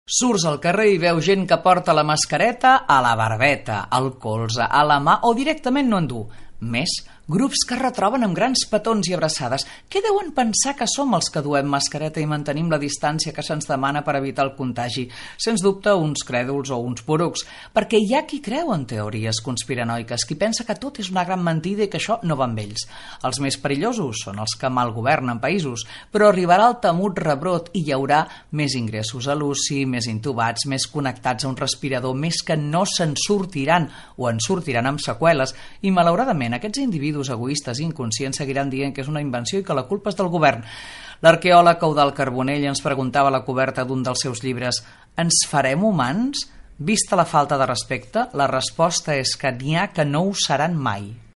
Surts al carrer i veus gent que porta la mascareta a la barbeta, al colze, a la mà o directament no en du. Més, grups que es retroben amb grans petons i abraçades. Què deuen pensar que som els que duem mascareta i mantenim la distància que se'ns demana per evitar el contagi? Sens dubte, uns crèduls o uns porucs, perquè hi ha qui creu en teories conspiranoiques, qui pensa que tot és una gran mentida i que això no va amb ells. Els més perillosos són els que mal governen països, però arribarà el temut rebrot i hi haurà més ingressos a l'UCI, més intubats, més connectats a un respirador, més que no se'n sortiran o en sortiran amb seqüeles i, malauradament, aquests individus egoistes i inconscients seguiran dient que és una invenció i que la culpa és del govern. L'arqueòleg Eudald Carbonell ens preguntava a la coberta d'un dels seus llibres: ens farem humans? Vista la falta de respecte, la resposta és que n'hi ha que no ho seran mai.